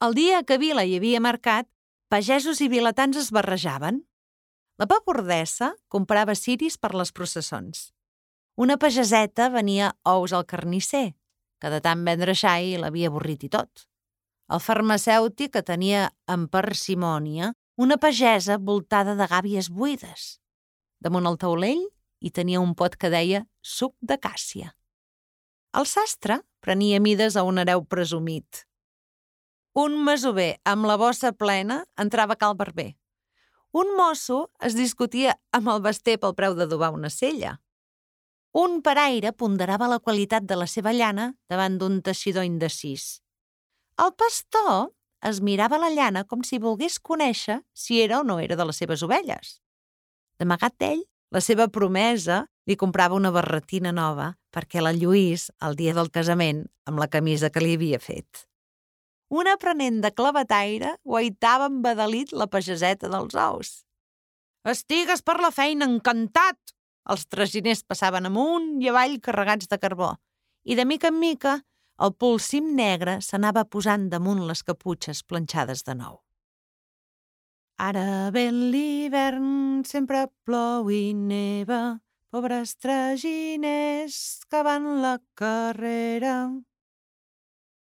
El dia que a Vila hi havia mercat, pagesos i vilatans es barrejaven. La papordessa comprava ciris per les processons. Una pageseta venia ous al carnisser, que de tant vendre xai l'havia avorrit i tot. El farmacèutic que tenia amb parsimònia una pagesa voltada de gàbies buides. Damunt el taulell hi tenia un pot que deia suc de càssia. El sastre prenia mides a un hereu presumit. Un masover amb la bossa plena entrava a cal barber. Un mosso es discutia amb el baster pel preu d'adobar una sella. Un paraire ponderava la qualitat de la seva llana davant d'un teixidor indecís. El pastor es mirava la llana com si volgués conèixer si era o no era de les seves ovelles. D'amagat d'ell, la seva promesa li comprava una barretina nova perquè la lluís el dia del casament amb la camisa que li havia fet. Un aprenent de clavetaire guaitava embadalit la pageseta dels ous. «Estigues per la feina, encantat!» Els traginers passaven amunt i avall carregats de carbó i de mica en mica el polsim negre s'anava posant damunt les caputxes planxades de nou. Ara ve l'hivern, sempre plou i neva, pobres traginers que van la carrera.